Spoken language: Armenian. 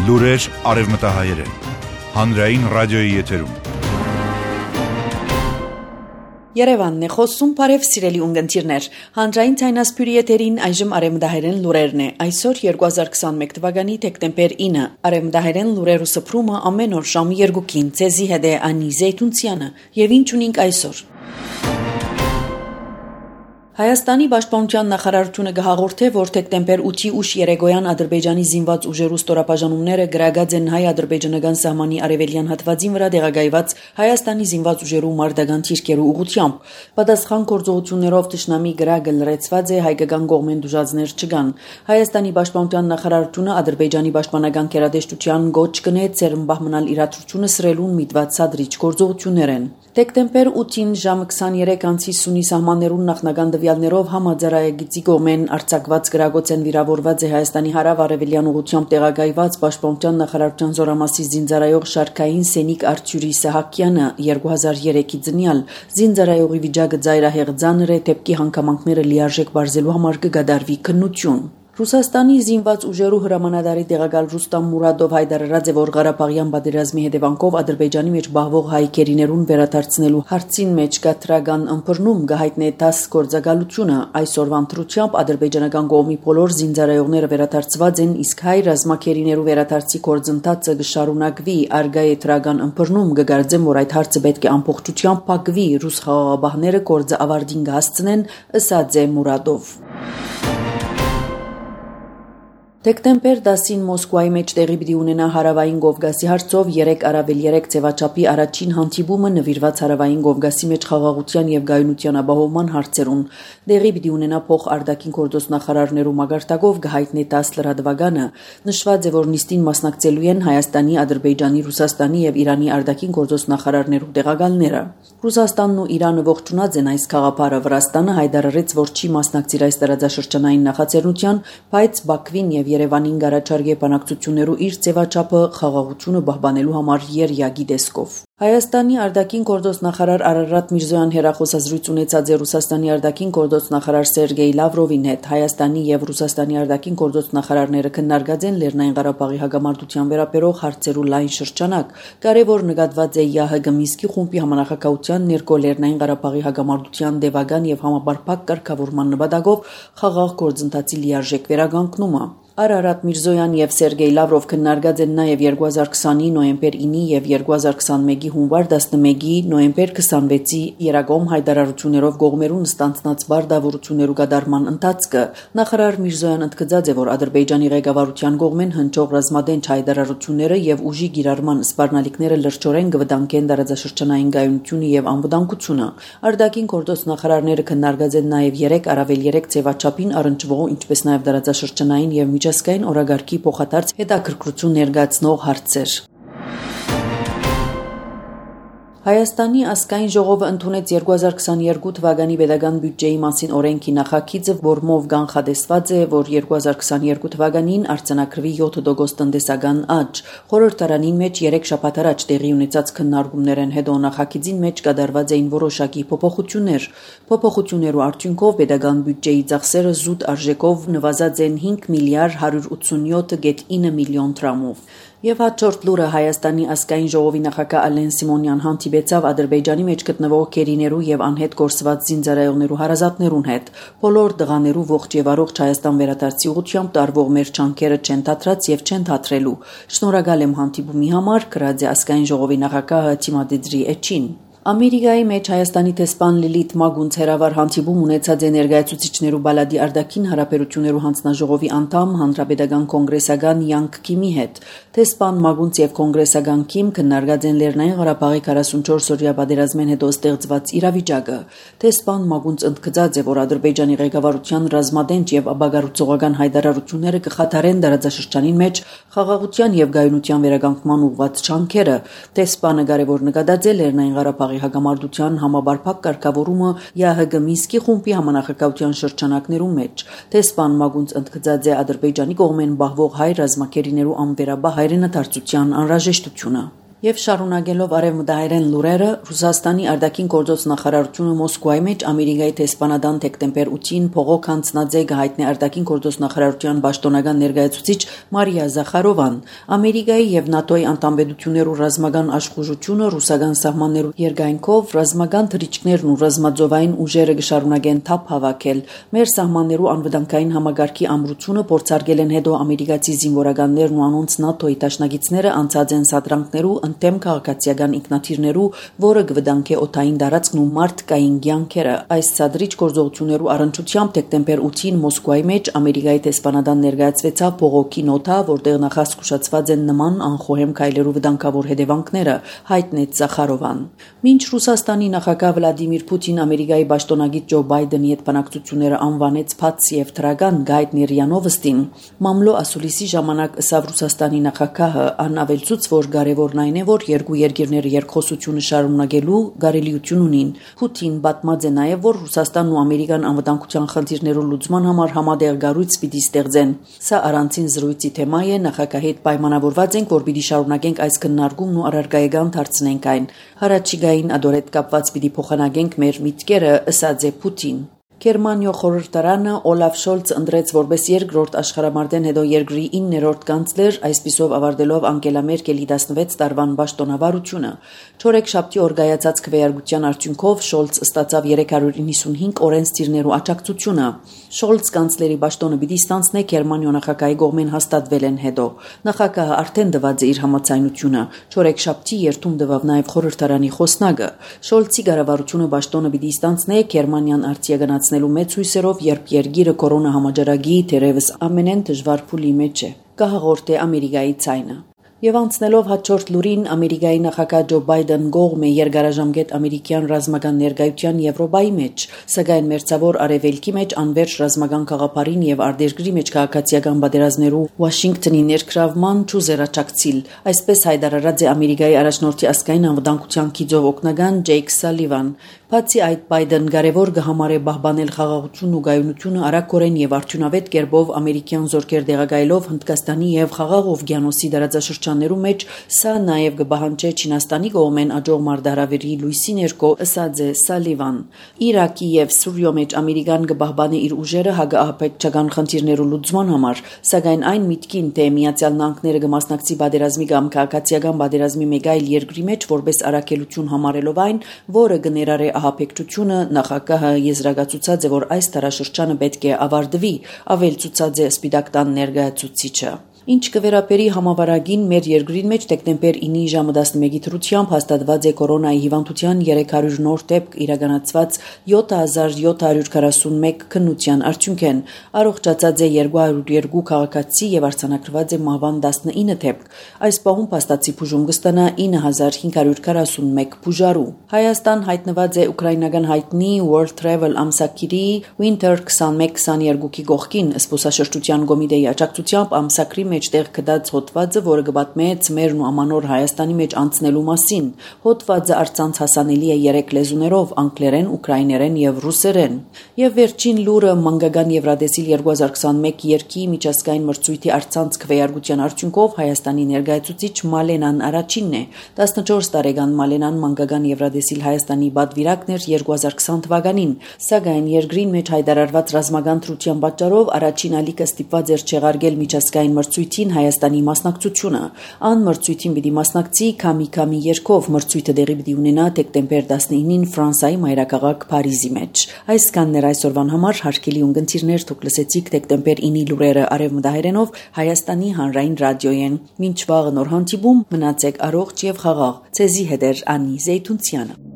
Լուրեր արևմտահայերեն, հանրային ռադիոյի եթերում։ Երևանն է խոսում, բարև սիրելի ունգընտիրներ, հանրային ցայնասպյուրի եթերին այժմ արևմտահայերեն լուրերն է, այսօր 2021 թվականի դեկտեմբեր 9, արևմտահայերեն լուրերու սփռումը ամեն օր ժամը 2-ին, ցեզի հետ է Անի Զեյթունցյանը, եւ ինչ ունենք այսօր։ Հայաստանի պաշտպանության նախարարությունը գահաղորդե, որ դեկտեմբեր 8-ի ուշ երեկոյան Ադրբեջանի զինված ուժերու ստորաբաժանումները գրագած են հայ-ադրբեջանական սահմանի արևելյան հատվածին վրա տեղակայված Հայաստանի զինված ուժերու մարտական թիրքերու ուղղությամբ։ Պատասխան գործողություններով թշնամի գրագը լրացված է, հայկական կողմեն դժուժածներ չկան։ Հայաստանի պաշտպանության նախարարությունը Ադրբեջանի պաշտպանական գերատեսչության գոչ կնե ցերմբահ մնալ իրադրությունը սրելուն միտված սադրիչ գործողություններ են։ Դեկտեմբեր 8-ին ժամը 23:50 սունի սահմաններուն նախնական տվյալներով համաձայնագծի կողմեն արձակված գրագոց են վիրավորված է Հայաստանի հարավ-արևելյան ուղղությամբ տեղակայված պաշտպանության նախարարության զորամասի զինծառայող Շարքային Սենիկ Արթյուրի Սահակյանը 2003-ի ծնյալ զինծառայողի վիճակը ծայրահեղ ծանր է, դեպքի հանգամանքները լիարժեք բարձելու համար կգադարվի քննություն։ Ռուսաստանի զինված ուժերու հրամանատարի տեղակալ Ռուստամ Մուրադով հայտարարած է, որ Ղարաբաղյան պատերազմի հետևանքով Ադրբեջանի մեջ բահվող հայ քերիներուն վերադարձնելու հարցին մեջ կտրական ըմբռնում կհայտնի 10 գործակալությունը։ Այսօրվան դրությամբ ադրբեջանական կողմի բոլոր զինծառայողները վերադարձված են, իսկ հայ ռազմաքերիներու վերադարձի գործընթացը կշարունակվի։ Արգա է դրական ըմբռնում կգարձեմ, որ այդ հարցը պետք է ամբողջությամբ փակվի, ռուս խաղաղապահները գործը ավարտին կհասցնեն, ըսած է Մուրադով։ Դեկտեմբեր 10-ին Մոսկվայի մեջ տեղի պիտի ունենա հարավային Կովկասի հարցով 3+3 ձևաչափի առաջին հանդիպումը նվիրված հարավային Կովկասի մեջ խաղաղության եւ գայունության ապահովման հարցերուն։ Տեղի պիտի ունենա փոխարտաքին գործոս նախարարներու մագարտակով կհայտնի 10 լրատվականը։ Նշված է, որ նիստին մասնակցելու են Հայաստանի, Ադրբեջանի, Ռուսաստանի եւ Իրանի արտաքին գործոս նախարարներու տեղակալները։ Ռուսաստանն ու Իրանը ողջունած են այս խաղապարը։ Վրաստանը հայտարարեց, որ չի մասնակցիր այս տարածաշրջանային նախաձեռնության, բայց Բաքվին եւ Երևանին գարաչարգե բանակցություններու իր ձևաչափը խաղաղությունը պահպանելու համար երյակի տեսքով։ Հայաստանի արտաքին գործոս նախարար Արարատ Միրզոյան հերախոսազրույց ունեցած է Ռուսաստանի արտաքին գործոս նախարար Սերգեյ Լավրովին հետ։ Հայաստանի եւ Ռուսաստանի արտաքին գործոս նախարարները քննարկած են Լեռնային Ղարաբաղի հագամարտության վերաբերող հարցերու լայն շրջանակ։ Կարևոր նկատված է ՀՀԳ Մինսկի խումբի համանախագահության ներկո Լեռնային Ղարաբաղի հագամարտության դեպական եւ համապարփակ կարգավորման նպատակով խաղաղ գործընթացի լիարժեք վերականգնումը։ Արարատ Միրզոյան եւ Սերգեյ Լավրով քննարկած են նաեւ 2020-ի նոյեմբեր 9-ի եւ 2021-ի հունվար 11-ի նոյեմբեր 26-ի երակոմ հայտարարություններով կողմերուն ստանցնած բարդավորություններու կատարման ընթացքը։ Նախարար Միրզոյան ընդգծած է, որ Ադրբեջանի ղեկավարության կողմեն հնչող ռազմադենչ հայտարարությունները եւ ուժի գիրառման սպառնալիքները լրջորեն կվտանգեն տարածաշրջանային գայունությունը եւ անվտանգությունը։ Արտաքին գործոս նախարարները քննարկած են նաեւ 3+3 ձևաչափին առնչվող, ինչպես նաեւ տարածաշրջանային եւ միջազգային օրագարկի փոխադարձ հետաքրքրություն ներկայացնող հարցեր։ Հայաստանի ազգային ժողովը ընդունեց 2022 թվականի պետական բյուջեի մասին օրենքի նախագիծը, որմով կանխատեսված է, որ 2022 թվականին արձանագրվի 7% տնտեսական աճ։ Խորհրդարանին մեջ 3 շաբաթ առաջ տեղի ունեցած քննարկումներն հետո նախագիծին մեջ կատարված էին որոշակի փոփոխություններ։ Փոփոխություններու արդյունքով պետական բյուջեի ծախսերը զուտ արժեքով նվազած են 5 միլիարդ 187.9 միլիոն դրամով։ Եվ հաջորդ լուրը Հայաստանի ազգային ժողովի նախագահ Ալեն Սիմոնյան հանդիպեցավ Ադրբեջանի մեջ գտնվող քերիներու եւ անհետ գործված զինծառայողներու հարազատներուն հետ։ Բոլոր դղաներու ողջ եւ առողջ Հայաստան վերադարձի ուղղությամբ տարվող մեր չանքերը չեն թատրած եւ չեն թատրելու։ Շնորհակալ եմ հանդիպումի համար, գրած է ազգային ժողովի նախագահը Թիմադիդրի Էչին։ Ամերիկայի մեջ Հայաստանի տեսփան Լիլիթ Մագունց հերավար հանդիպում ունեցած է ներկայացուցիչներու բալադի արտաքին հարաբերություններու հանձնաժողովի անդամ հանրապետական կոնգրեսական Յանկ Քիմի հետ։ Տեսփան Մագունց եւ կոնգրեսական Քիմ քննարկած են Լեռնային Ղարաբաղի 44-օրյա պատերազմեն հետո ստեղծված իրավիճակը։ Տեսփան Մագունց ընդգծած է, որ Ադրբեջանի ղեկավարության ռազմադենչ եւ ապագարուցողական հայտարարությունները կխաթարեն տարածաշրջանին մեջ խաղաղության եւ գայունության վերականգնման ուղղված չանքերը։ Տեսփանը կարևոր նկատած է Լեռնային Ղարաբաղի հագամարտության համապարփակ կարգավորումը ՀՀԳ Մինսկի խումբի համանախագահության շրջանակներում մեջ։ Տեսփան Մագունց ընդգծած է Ադրբեջանի կողմեն բահվող հայ ռազմաքերիներու անվերաբահ հայրենադարձության անհրաժեշտությունը։ Եվ շարունակելով արևմտահայերեն լուրերը, Ռուսաստանի արտաքին գործոց նախարարությունը Մոսկվայի մեջ Ամերիկայի տեսփանադան դեկտեմբեր 8-ին փողոք հանձնած է հայտնի արտաքին գործոց նախարարության պաշտոնական ներկայացուցիչ Մարիա Զախարովան, Ամերիկայի եւ ՆԱՏՕ-ի անդամբեդություններու ռազմական աշխուժությունը ռուսական սահմաններու երկայնքով ռազմական թռիչքներն ու ռազմաձովային ուժերը կշարունակեն թափ հավաքել։ Մեր սահմաններու անվտանգային համագարքի ամրությունը փորձարկել են հետո ամերիկացի զինվորականներն ու անոնց ՆԱՏՕ-ի դաշնակիցները անցած են սադրանքներու ընդդեմ քաղաքացիական ինքնաթիռներու, որը կվտանգե օդային տարածքն ու մարդկային կյանքերը։ Այս ցածրիչ գործողություններու առնչությամբ դեկտեմբեր 8-ին Մոսկվայի մեջ Ամերիկայի տեսփանադան ներկայացվեցավ փողոքի նոթա, որտեղ նախազգուշացված են նման անխոհեմ քայլերու վտանգավոր հետևանքները, հայտնեց Զախարովան։ Մինչ Ռուսաստանի նախագահ Վլադիմիր Պուտին Ամերիկայի պաշտոնագետ Ջո Բայդենի հետ բանակցությունները անվանեց փաց եւ դրական գայթ Նիրյանովստին, մամլո ասուլիսի ժամանակ ըսավ Ռուսաստանի նախագահը անավելցուց, որ կարևորն այն է, որ երկու երկիրները երկխոսությունը շարունակելու կարելիություն ունին։ Պուտին պատմած է նաև, որ Ռուսաստանն ու Ամերիկան անվտանգության խնդիրներու լուծման համար համատեղ կառույց պիտի ստեղծեն։ Սա առանցին զրույցի թեմա է, նախագահի հետ պայմանավորված ենք, որ պիտի շարունակենք այս քննարկումն ու առարկայական դարձնենք այն։ Հարաճիգային ադորետ կապված պիտի փոխանակենք մեր միտքերը, ըսած է Պուտին։ Գերմանիո խորհրդարանը Օլաֆ Շոլցը ընտրեց որպես երկրորդ աշխարհամարտեն հետո երկրի 9-րդ կանցլեր, այսպիսով ավարտելով Անգելա Մերկելի 16 տարվան պաշտոնավարությունը։ Չորեքշաբթի օր կայացած քվեարկության արդյունքով Շոլց ստացավ 395 օրենսդիրներու աջակցությունը։ Շոլց կանցլերի պաշտոնը պիտի ստանձնե Գերմանիո նախագահի կողմեն հաստատվել են հետո։ Նախագահը արդեն տված է իր համաձայնությունը։ Չորեքշաբթի երթում տվավ նաև խորհրդարանի խոսնակը։ Շոլցի կառավարությունը պաշտոնը պիտի ստանձնե Գերմանիան արտիականացնելու մեծ հույսերով, երբ երկիրը կորոնա համաճարակի թերևս ամենեն դժվար փուլի մեջ է, կհաղորդե Ամերիկայի ցայնը։ Եվ անցնելով հաջորդ լուրին, Ամերիկայի նախագահ Ջո Բայդեն կողմ է երկարաժամկետ ամերիկյան ռազմական ներկայության Եվրոպայի մեջ, սակայն մերձավոր արևելքի մեջ անվերջ ռազմական գաղափարին եւ արտերկրի մեջ քաղաքացիական պատերազմներու Վաշինգտոնի ներքրավման չուզերաճակցիլ, այսպես հայտարարած է Ամերիկայի առաջնորդի ազգային անվտանգության գիծով օգնական Ջեյք Սալիվան։ Բացի այդ, Բայդեն կարևոր կհամարե պահպանել խաղաղությունն ու գայունությունը արագորեն եւ արդյունավետ կերպով ամերիկյան զորքեր տեղակայելով Հնդկաստանի եւ Խաղաղ օվկիանոսի տարածաշրջաններու մեջ, սա նաեւ կպահանջի Չինաստանի կողմեն աջող մարտահրավերի լույսի ներքո, ըսած է Սալիվան։ Իրաքի եւ Սուրիո մեջ Ամերիկան կպահպանի իր ուժերը հակաահաբեկչական խնդիրներու լուծման համար, սակայն այն միտքին, թե Միացյալ Նահանգները կմասնակցի պատերազմի կամ քաղաքացիական պատերազմի մեկ այլ երկրի մեջ որպես առաքելություն համարելով այն, որը կներառե ահաբեկչությունը, նախագահը եզրակացուցած է, որ այս տարաշրջանը պետք է ավարտվի, ավելցուցած է Սպիտակ տան ներկայացուցիչը։ Ինչ կվերապերի համավարագին մեր երկրին մեջ դեկտեմբեր 9-ի ժամը 11-ի դրությամբ հաստատված է կորոնայի հիվանդության 300 նոր դեպք իրականացված 7741 քննության արդյունքեն, առողջացած է 202 քաղաքացի եւ արձանագրված է մահվան 19 դեպք։ Այս պահում փաստացի բուժում կստանա 9541 բուժարու։ Հայաստան հայտնված է ուկրաինական հայտնի World Travel ամսակիրի Winter 21-22-ի գողքին զբոսաշրջության կոմիտեի աջակցությամբ ամսակրի մեջտեղ գտած հոդվածը, որը կպատմե ծմերն ու ամանոր Հայաստանի մեջ անցնելու մասին։ Հոդվածը առցանց հասանելի է 3 լեզուներով՝ անգլերեն, ուկրաիներեն եւ ռուսերեն։ Եվ վերջին լուրը մանկական Եվրադեսիլ 2021 երկի միջազգային մրցույթի առցանց քվեարկության արդյունքով Հայաստանի ներկայացուցիչ Մալենան առաջինն է։ 14 տարեկան Մալենան մանկական Եվրադեսիլ Հայաստանի պատվիրակն էր 2020 թվականին, սակայն երկրին մեջ հայտարարված ռազմական թրության պատճառով առաջին ալիքը ստիպված էր չեղարկել միջազգային մրցույթին Հայաստանի մասնակցությունը։ Ան մրցույթին պիտի մասնակցի Քամի երկով, մրցույթը տեղի պիտի ունենա դեկտեմբեր 19-ին Ֆրանսիայի մայրաքաղաք Փարիզի մեջ։ Այսքանն էր այսօրվան համար, հարգելի ունկնդիրներ, դուք լսեցիք դեկտեմբեր 9-ի լուրերը արևմտահայերենով Հայաստանի հանրային ռադիոյեն։ Մինչ վաղը նոր հանդիպում, մնացեք առողջ եւ խաղաղ։ Ցեզի հետ է Անի Զեյթունցյանը։